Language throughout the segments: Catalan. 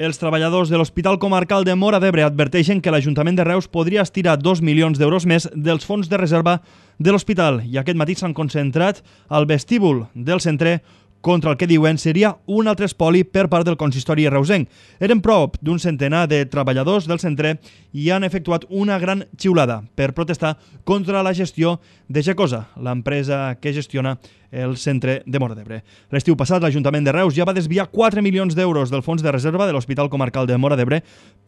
Els treballadors de l'Hospital Comarcal de Móra d'Ebre adverteixen que l'Ajuntament de Reus podria estirar 2 milions d'euros més dels fons de reserva de l'hospital i aquest matí s'han concentrat al vestíbul del centre contra el que diuen seria un altre espoli per part del consistori reusenc. Eren prop d'un centenar de treballadors del centre i han efectuat una gran xiulada per protestar contra la gestió de Gecosa, l'empresa que gestiona el centre de Móra d'Ebre. L'estiu passat, l'Ajuntament de Reus ja va desviar 4 milions d'euros del fons de reserva de l'Hospital Comarcal de Móra d'Ebre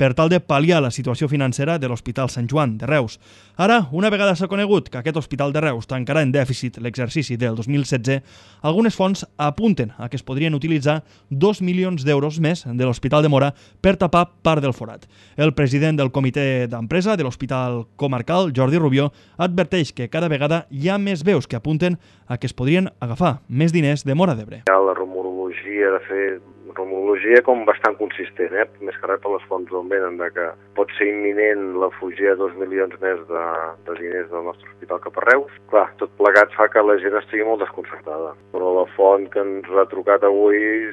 per tal de pal·liar la situació financera de l'Hospital Sant Joan de Reus. Ara, una vegada s'ha conegut que aquest Hospital de Reus tancarà en dèficit l'exercici del 2016, algunes fonts apunten a que es podrien utilitzar 2 milions d'euros més de l'Hospital de Móra per tapar part del forat. El president del comitè d'empresa de l'Hospital Comarcal, Jordi Rubió, adverteix que cada vegada hi ha més veus que apunten a que es podrien agafar més diners de Móra d'Ebre. Hi ha la rumorologia de fer rumorologia com bastant consistent, més que res per les fonts d'on venen, que pot ser imminent la fugida de 2 milions més de diners del nostre hospital cap a Reus. Clar, tot plegat fa que la gent estigui molt desconcertada, però la font que ens ha trucat avui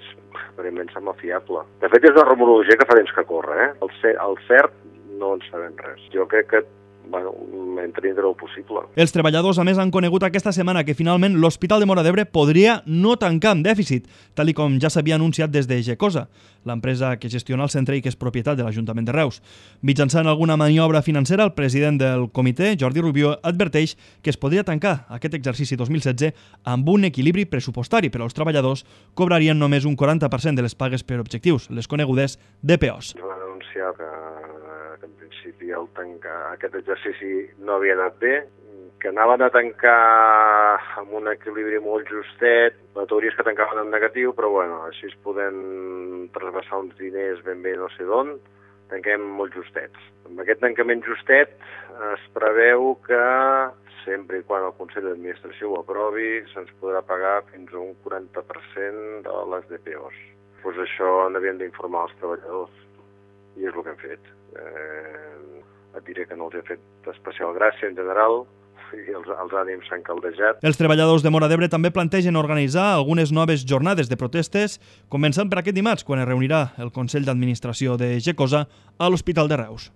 aparentment sembla fiable. De fet, és una rumorologia que fa temps que corre, El cert no en sabem res. Jo crec que entre dintre el possible. Els treballadors, a més, han conegut aquesta setmana que finalment l'Hospital de Móra d'Ebre podria no tancar amb dèficit, tal i com ja s'havia anunciat des de Gecosa, l'empresa que gestiona el centre i que és propietat de l'Ajuntament de Reus. Mitjançant alguna maniobra financera, el president del comitè, Jordi Rubió, adverteix que es podria tancar aquest exercici 2016 amb un equilibri pressupostari, però els treballadors cobrarien només un 40% de les pagues per objectius, les conegudes DPOs. Va anunciar que en principi aquest exercici no havia anat bé, que anaven a tancar amb un equilibri molt justet. La teoria és que tancaven en negatiu, però així es poden trasbassar uns diners ben bé no sé d'on. Tanquem molt justets. Amb aquest tancament justet es preveu que, sempre i quan el Consell d'Administració ho aprovi, se'ns podrà pagar fins a un 40% de les DPOs. Doncs això n'havien d'informar els treballadors, i és el que hem fet. Et diré que no els he fet especial gràcia en general, i els ànims s'han caldejat. Els treballadors de Móra d'Ebre també plantegen organitzar algunes noves jornades de protestes, començant per aquest dimarts, quan es reunirà el Consell d'Administració de Gecosa a l'Hospital de Reus.